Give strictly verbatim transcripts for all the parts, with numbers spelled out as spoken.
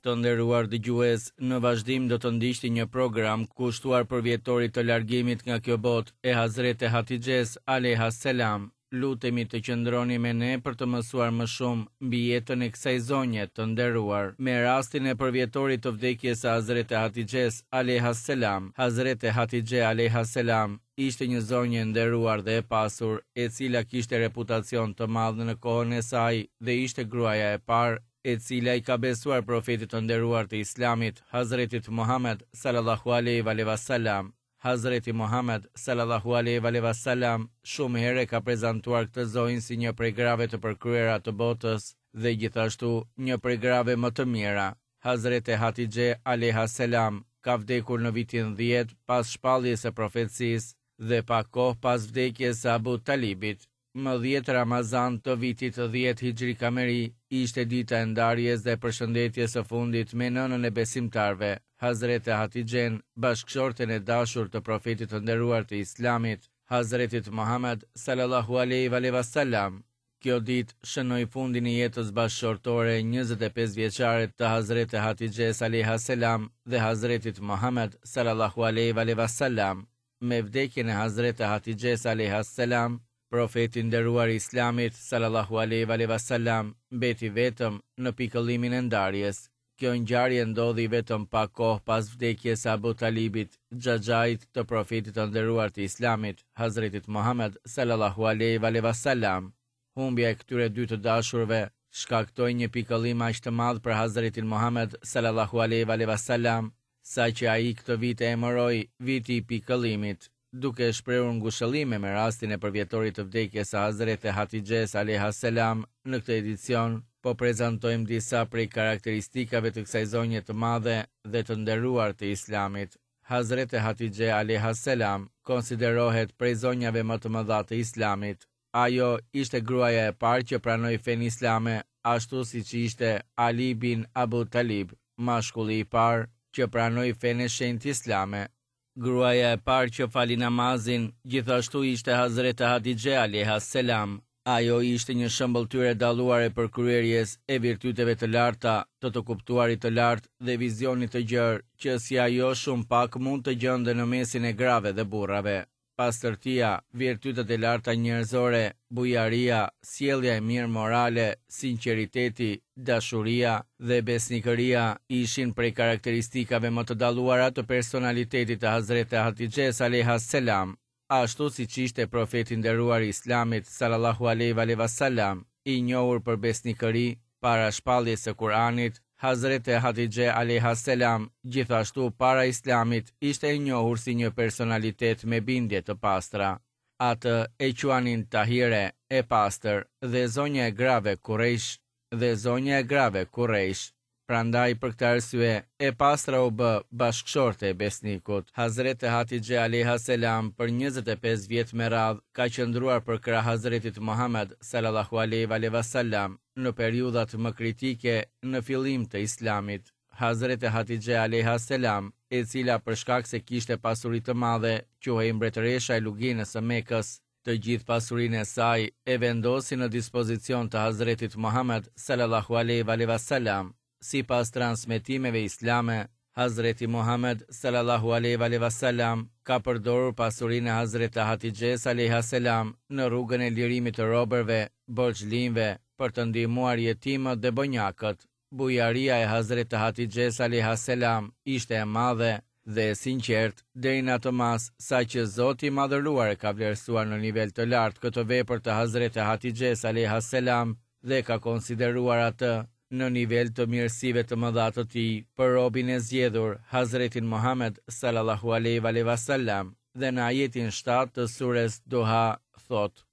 Të nderuar dëgjues, në vazhdim do të ndiqni një program kushtuar përvjetorit të largimit nga kjo botë e Hazrete Hatixhes alejha selam. Lutemi të qëndroni me ne për të mësuar më shumë mbi jetën e kësaj zonje të nderuar. Me rastin e përvjetorit të vdekjes së Hazrete Hatixhes alejha selam, Hazrete Hatixhe alejha selam ishte një zonjë e nderuar dhe e pasur, e cila kishte reputacion të madh në kohën e saj dhe ishte gruaja e parë e cila i ka besuar profetit të nderuar të Islamit, Hazretit Muhammed sallallahu alaihi wa sallam. Hazreti Muhammed sallallahu alaihi wa sallam shumë herë ka prezantuar këtë zonjë si një prej grave të përkryera të botës dhe gjithashtu një prej grave më të mira. Hazrete Hatixhe alejha selam ka vdekur në vitin dhjetë pas shpalljes së profecisë dhe pak kohë pas vdekjes së Abu Talibit. Më dhjetë Ramazan të vitit dhjetë Hijri Kameri ishte dita e ndarjes dhe përshëndetjes së fundit me nënën e besimtarëve, Hazrete Hatixhen, bashkëshorten e dashur të profetit të nderuar të Islamit, Hazretit Muhammed sallallahu alaihi wa sallam. Kjo ditë shënoi fundin e jetës bashkëshortore njëzet e pesë vjeçare të Hazrete Hatixhes alejha selam dhe Hazretit Muhammed sallallahu alaihi wa sallam. Me vdekjen e Hazrete Hatixhes alejha selam, profeti nderuar i Islamit sallallahu alaihi wa sallam mbeti vetëm në pikëllimin e ndarjes. Kjo ngjarje ndodhi vetëm pak kohë pas vdekjes së Abu Talibit, xhaxhait të profetit të nderuar të Islamit, Hazretit Muhammed sallallahu alaihi wa sallam. Humbja e këtyre dy të dashurve shkaktoi një pikëllim aq të madh për Hazretin Muhammed sallallahu alaihi wa sallam, saqë ai këtë vit e emëroi viti i pikëllimit, duke shprehur ngushëllime me rastin e përvjetorit të vdekjes së Hazrete Hatixhes alejha selam. Në këtë edicion po prezantojmë disa prej karakteristikave të kësaj zonje të madhe dhe të nderuar të Islamit. Hazrete Hatixhe alejha selam konsiderohet prej zonjave më të mëdha të Islamit. Ajo ishte gruaja e parë që pranoi fenë islame, ashtu siç ishte Ali bin Abu Talib, mashkulli i parë që pranoi fenë e shenjtë islame. Gruaja e parë që fali namazin gjithashtu ishte Hazrete Hatixhe alejha selam. Ajo ishte një shëmbëlltyrë e dalluar e përkryerjes e virtyteve të larta, të të kuptuarit të lartë dhe vizionit të gjerë, që si ajo shumë pak mund të gjenden në mesin e grave dhe burrave. Pastërtia, virtytet e larta njerëzore, bujaria, sjellja e mirë morale, sinqeriteti, dashuria dhe besnikëria ishin prej karakteristikave më të dalluara të personalitetit të Hazrete Hatixhes alejha selam. Ashtu siç ishte profeti i nderuar i Islamit sallallahu alaihi wa sallam, i njohur për besnikëri para shpalljes së Kur'anit, Hazrete Hatixhe alejha selam gjithashtu para Islamit ishte e njohur si një personalitet me bindje të pastra. Atë e quanin Tahire, e pastër, dhe zonja e grave Kurejsh, dhe zonja e grave Kurejsh. Prandaj për këtë arsye e pastra u bë bashkëshorte e besnikut. Hazrete Hatixhe alejha selam për njëzet e pesë vjet me radhë ka qëndruar përkrah Hazretit Muhammed sallallahu alaihi wa sallam në periudhat më kritike në fillim të Islamit. Hazrete Hatixhe alejha selam, e cila për shkak se kishte pasuri të madhe, quhej mbretëresha e luginës së Mekës, të gjithë pasurinë e saj e vendosi në dispozicion të Hazretit Muhammed sallallahu alaihi wa sallam. Sipas transmetimeve islame, Hazreti Muhammed sallallahu alaihi wa sallam ka përdorur pasurinë e Hazreti Hatixhes alejha selam në rrugën e lirimit të robërve, borxhlinjve, për të ndihmuar jetimët dhe bonjakët. Bujaria e Hazreti Hatixhes alejha selam ishte e madhe dhe e sinqert deri në atë masë sa që Zoti i Madhëruar e ka vlerësuar në nivel të lartë këtë vepër të Hazreti Hatixhes alejha selam dhe ka konsideruar atë në nivel të mirësive të mëdha të tij për robin e zgjedhur Hazretin Muhammed sallallahu alaihi wa sallam. Dhe në ajetin shtatë të sures Duha thot: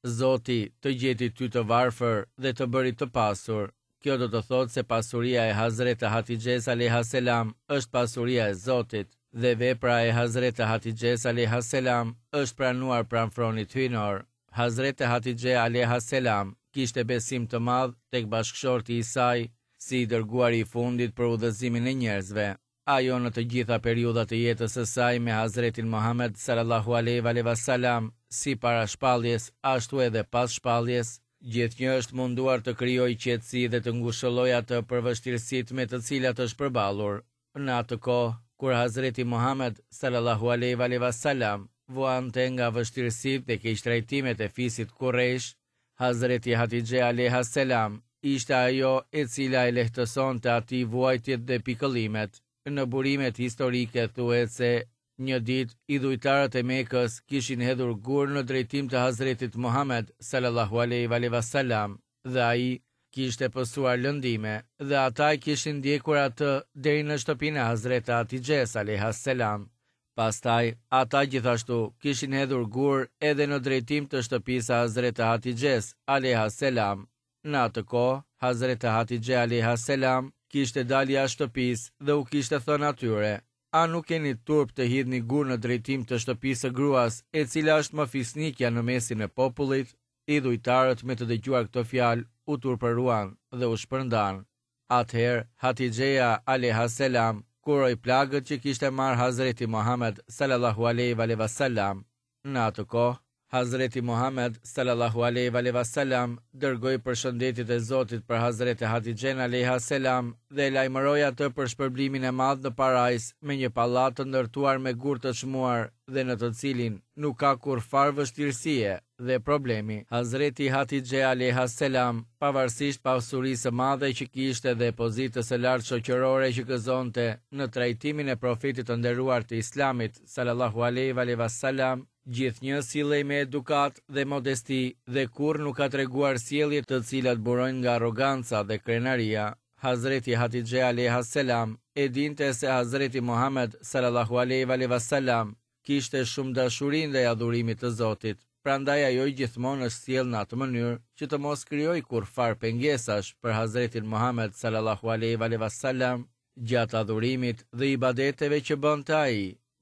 Zoti të gjeti ty të varfër dhe të bëri të pasur. Kjo do të thotë se pasuria e Hazreti Hatixhes alejha selam është pasuria e Zotit dhe vepra e Hazreti Hatixhes alejha selam është pranuar pranë fronit hyjnor. Hazreti Hatixhe alejha selam kishte besim të madh tek bashkëshorti i saj, si i dërguari i fundit për udhëzimin e njerëzve. Ajo në të gjitha periudhat e jetës së saj me Hazretin Muhammed sallallahu alaihi wa sallam, si para shpalljes ashtu edhe pas shpalljes, gjithnjë është munduar të krijojë qetësi dhe të ngushëllojë atë për vështirësitë me të cilat është përballur. Në atë kohë, kur Hazreti Muhamed sallallahu alejhi ve selam vuante nga vështirësitë dhe keqtrajtimet e fisit Kurejsh, Hazreti Hatixhe alejha selam ishte ajo e cila e lehtësonte atij vuajtjet dhe pikëllimet. Në burimet historike thuhet se një ditë idhujtarët e Mekës kishin hedhur gur në drejtim të Hazretit Muhamed sallallahu alejhi ve selam dhe ai kishte pësuar lëndime dhe ata e kishin ndjekur atë deri në shtëpinë e Hazret Hatixhes alejha selam. Pastaj, ata gjithashtu kishin hedhur gur edhe në drejtim të shtëpisë së Hazret Hatixhes alejha selam. Në atë kohë, Hazret Hatixhe alejha selam kishte dalë jashtë shtëpisë dhe u kishte thënë atyre: A nuk keni turp të hidhni gur në drejtim të shtëpisë së gruas, e cila është më fisnikja në mesin e popullit? Idhujtarët me të dëgjuar këto fjalë u turpëruan dhe u shpërndan. Atëherë, Hatixheja alejha selam kuroi plagët që kishte marrë Hazreti Muhamed sallallahu alejhi ve selam. Në atë kohë, Hazreti Muhamed sallallahu alejhi ve selam dërgoi përshëndetjet e Zotit për Hazreti Hatixhen alejha selam dhe e lajmëroi atë për shpërblimin e madh në parajs me një pallat të ndërtuar me gur të çmuar dhe në të cilin nuk ka kurrfar vështirësie dhe problemi. Hazreti Hatixhe alejha selam, pavarësisht pasurisë së madhe që kishte dhe pozitës së lartë shoqërore që gëzonte në trajtimin e profetit të nderuar të Islamit sallallahu alejhi ve selam, gjithnjë sillej me edukat dhe modesti dhe kurrë nuk ka treguar sjellje të cilat burojnë nga arroganca dhe krenaria. Hazreti Hatixhe alejha selam e dinte se Hazreti Muhamed sallallahu alejhi ve selam kishte shumë dashuri ndaj adhurimit të Zotit, prandaj ajo gjithmonë është sjellë në atë mënyrë që të mos krijojë kurrfar pengesash për Hazretin Muhamed sallallahu alejhi ve selam gjatë adhurimit dhe ibadeteve që bënte ai.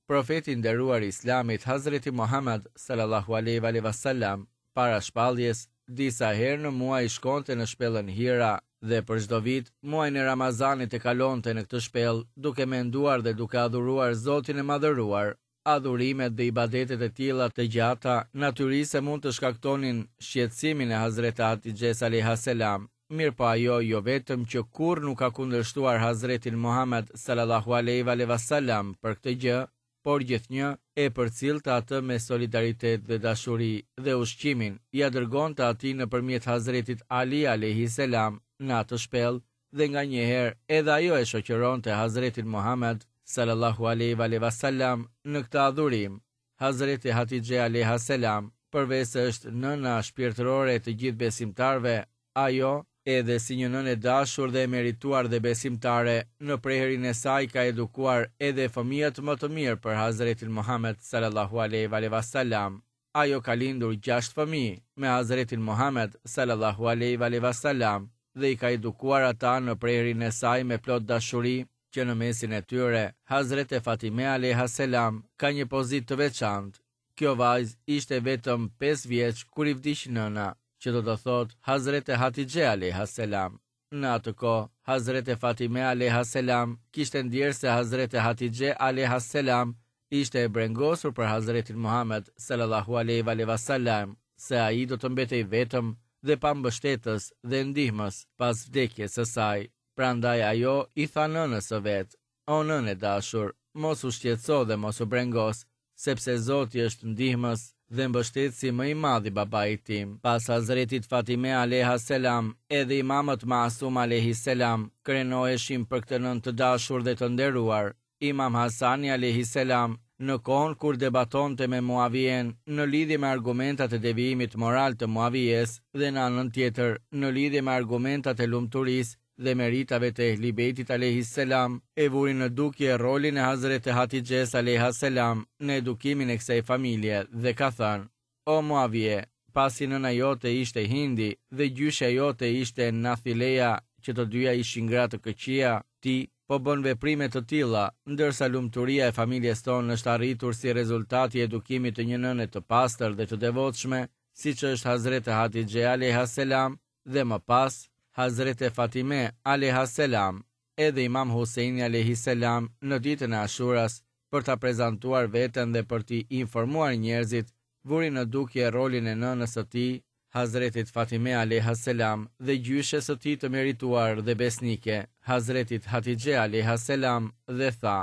Profeti i nderuar i Islamit, Hazreti Muhamed sallallahu alejhi ve selam, para shpalljes, disa herë në muaj shkonte në shpellën Hira dhe për çdo vit muajin e Ramazanit e kalonte në këtë shpellë, duke menduar dhe duke adhuruar Zotin e Madhëruar. Adhurimet dhe ibadetet e tilla të gjata natyrisht se mund të shkaktonin shqetësimin e Hazreti Hatixhes alejha selam, mirë po ajo jo vetëm që kurrë nuk ka kundërshtuar Hazretin Muhamed sallallahu alejhi ve selam për këtë gjë, por gjithnjë e përcillte atë me solidaritet dhe dashuri dhe ushqimin ia dërgonte atij nëpërmjet Hazretit Ali alejhi selam në atë shpellë dhe nganjëherë edhe ajo e shoqëronte Hazretin Muhamed sallallahu alejhi ve selam në këtë adhurim. Hazreti Hatixhe alejha selam, përveç se është nëna shpirtërore e të gjithë besimtarëve, ajo edhe si një nënë e dashur dhe e merituar dhe besimtare, në prehrin e saj ka edukuar edhe fëmijët më të mirë për Hazretin Muhamed sallallahu alejhi ve selam. Ajo ka lindur gjashtë fëmijë me Hazretin Muhamed sallallahu alejhi ve selam dhe i ka edukuar ata në prehrin e saj me plot dashuri, që në mesin e tyre Hazrete Fatime alejha selam ka një pozitë të veçantë. Kjo vajzë ishte vetëm pesë vjeç kur i vdiq nëna, që do të thotë Hazrete Hatixhe alejha selam. Në atë kohë, Hazrete Fatime alejha selam kishte ndjerë se Hazrete Hatixhe alejha selam ishte e brengosur për Hazretin Muhamed sallallahu alejhi ve selam, se ai do të mbetej vetëm dhe pa mbështetës dhe ndihmës pas vdekjes së saj. Prandaj ajo i tha nënës së vet: O nënë e dashur, mos u shqetëso dhe mos u brengos, sepse Zoti është ndihmës dhe mbështetësi më i madh i babait tim. Pas Hazretit Fatime alejha selam, edhe imamët Masum alejhi selam krenoheshin për këtë nënë të dashur dhe të nderuar. Imam Hasani alejhi selam, në kohën kur debatonte me Muavijen në lidhje me argumentat e devijimit moral të Muavijes dhe në anën tjetër në lidhje me argumentat e lumturisë dhe meritave të Ehli Bejtit alejhi selam, e vuri në dukje rolin e Hazreti Hatixhes alejha selam në edukimin e kësaj familje dhe ka thënë: O Muavije, pasi nëna jote ishte Hindi dhe gjyshja jote ishte Nathileja, që të dyja ishin gra të këqija, ti po bën veprime të tilla, ndërsa lumturia e familjes tonë është arritur si rezultat i edukimit të një nëne të pastër dhe të devotshme, siç është Hazreti Hatixhe alejha selam dhe më pas Hazreti Fatime alejha selam, edhe Imam Huseini alejhi selam në ditën e Ashuras, për ta prezantuar veten dhe për t'i informuar njerëzit, vuri në dukje rolin e nënës së tij, Hazretit Fatime alejha selam dhe gjyshes së tij të merituar dhe besnike, Hazretit Hatixhe alejha selam dhe tha: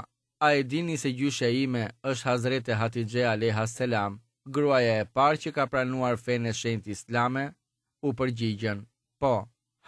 A e dini se gjyshja ime është Hazrete Hatixhe alejha selam, gruaja e parë që ka pranuar fenë e shenjtë islame? U përgjigjën: Po,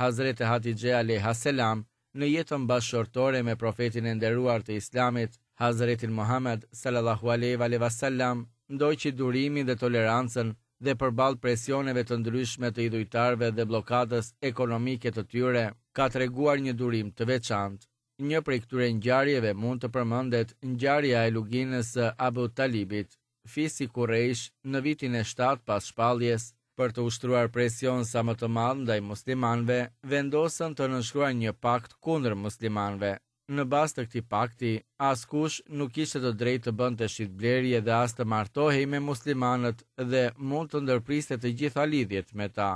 Hazrete Hatixhe alejha selam në jetën bashkëshortore me profetin e nderuar të Islamit, Hazretin Muhammed sallallahu alejhi ve sallam, ndoqi durimin dhe tolerancën dhe përballë presioneve të ndryshme të idhujtarëve dhe bllokadës ekonomike të tyre, ka treguar një durim të veçantë. Një prej këtyre ngjarjeve mund të përmendet ngjarja e luginës së Abu Talibit. Fisi Kurejsh në vitin e shtatë pas shpalljes, për të ushtruar presion sa më të madh ndaj muslimanëve, vendosën të nënshkruajnë një pakt kundër muslimanëve. Në bazë të këtij pakti, askush nuk kishte të drejtë të bënte shitblerje dhe as të martohej me muslimanët dhe mund të ndërpriste të gjitha lidhjet me ta.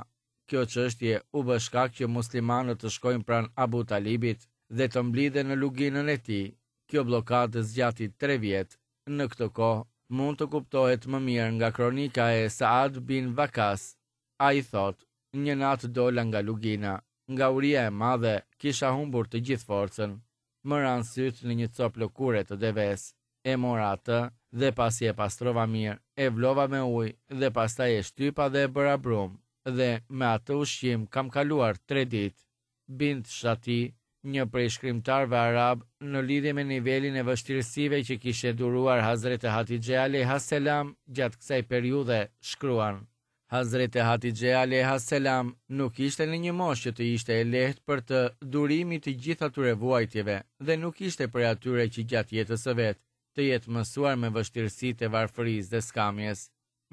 Kjo çështje u bë shkak që muslimanët të shkojnë pranë Abu Talibit dhe të mblidhen në luginën e tij. Kjo bllokadë zgjati tre vjet. Në këtë kohë mund të kuptohet më mirë nga kronika e Saad bin Vakas. Ai thotë: Një natë dola nga lugina, nga uria e madhe kisha humbur të gjithë forcën. Më ranë sytë në një copë lëkure të deves. E mora atë dhe pasi e pastrova mirë, e vlova me ujë dhe pastaj e shtypa dhe e bëra brum, dhe me atë ushqim kam kaluar tre ditë. Bint Shati, një prej shkrimtarëve arab, në lidhje me nivelin e vështirësive që kishte duruar Hazrete Hatixhe alejha selam gjatë kësaj periudhe, shkruan: Hazrete Hatixhe alejha selam nuk ishte në një moshë që të ishte e lehtë për të durimi të gjithë atyre vuajtjeve dhe nuk ishte prej atyre që gjatë jetës së vet të jetë mësuar me vështirësitë e varfërisë dhe skamjes.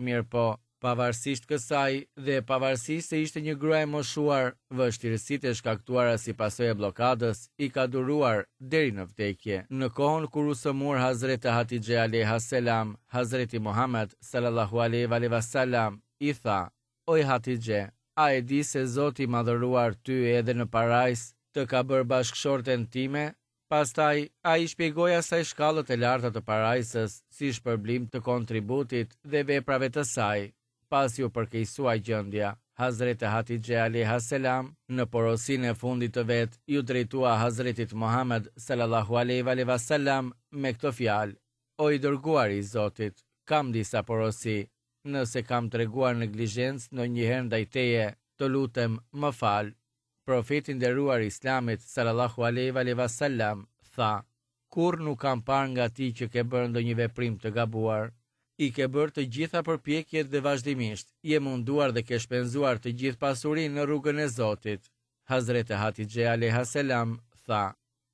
Mirëpo, pavarësisht kësaj dhe pavarësisht se ishte një grua e moshuar, vështirësitë e shkaktuara si pasojë e bllokadës i ka duruar deri në vdekje. Në kohën kur u sëmur Hazrete Hatixhe alejha selam, Hazreti Muhammed sallallahu alejhi ve sallam i tha: Oj Hatixhe, a e di se Zoti i madhëruar ty edhe në parajs të ka bërë bashkëshorten time? Pastaj, ai shpjegoi asaj shkallët e larta të parajsës si shpërblim të kontributit dhe veprave të saj. Pasi u përkeqësua gjendja, Hazrete Hatixhe alejha selam në porosinë e fundit të vet iu drejtua Hazretit Muhammed sallallahu alejhi ve sallam me këto fjalë: O i dërguari i Zotit, kam disa porosi. Nëse kam treguar neglizhencë ndonjëherë ndaj teje, të lutem, më fal. Profeti i nderuar i Islamit sallallahu alejhi ve sallam tha: Kurrë nuk kam parë nga ti që ke bërë ndonjë veprim të gabuar. I ke bërë të gjitha përpjekjet dhe vazhdimisht je munduar dhe ke shpenzuar të gjithë pasurinë në rrugën e Zotit. Hazrete Hatixhe alejha selam tha: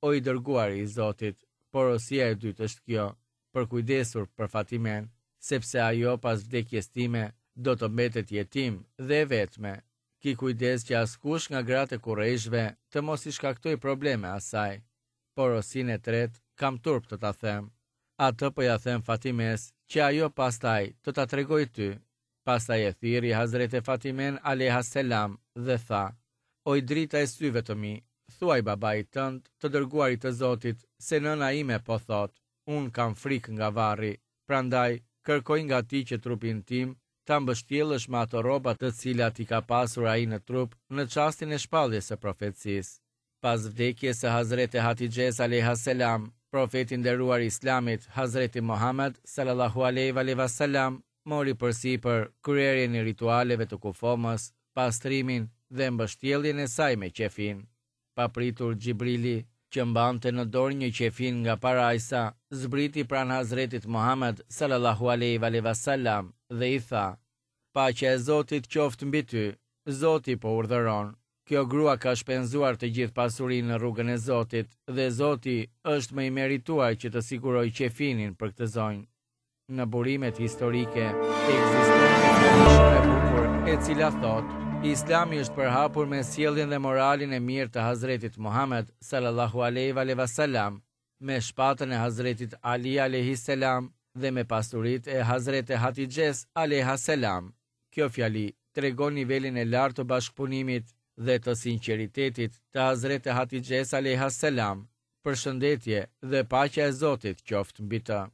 O i dërguari i Zotit, porosia e dytë është kjo, përkujdesur për Fatimen, sepse ajo pas vdekjes time do të mbetet jetim dhe e vetme. Ki kujdes që askush nga gratë e kurejshve të mos i shkaktoj probleme asaj. Porosinë e tretë kam turp të ta them. Atë po ja them Fatimes, që ajo pastaj të ta tregoj ty. Pastaj e thirri Hazrete Fatimen alejha selam dhe tha: Oj drita e syve të mi, thuaj babait tënd, të dërguarit të Zotit, se nëna ime po thot, unë kam frikë nga varri, prandaj kërkoj nga ti që trupin tim ta mbështjellësh me ato rroba të cilat i ka pasur ai në trup në çastin e shpalljes së profecisë. Pas vdekjes së Hazrete Hatixhes alejha selam, profeti i nderuar i Islamit, Hazreti Muhammed sallallahu alejhi ve sallam, mori përsipër kryerjen e ritualeve të kufomës, pastrimin dhe mbështjelljen e saj me qefin. Papritur Xhibrili, që mbante në dorë një qefin nga parajsa, zbriti pranë Hazretit Muhammed sallallahu alejhi ve sallam dhe i tha: Paqja e Zotit qoftë mbi ty, Zoti po urdhëron. Kjo grua ka shpenzuar të gjithë pasurinë në rrugën e Zotit dhe Zoti është më i merituar që të sigurojë qefinin për këtë zonjë. Në burimet historike ekziston një fjali shumë e bukur, e cila thotë: Islami është përhapur me sjelljen dhe moralin e mirë të Hazretit Muhammed sallallahu alejhi ve sallam, me shpatën e Hazretit Ali alejhi selam dhe me pasuritë e Hazrete Hatixhes alejha selam. Kjo fjali tregon nivelin e lartë të bashkëpunimit dhe të sinqeritetit të Hazrete Hatixhes alejha selam. Përshëndetje dhe paqja e Zotit qoftë mbi të.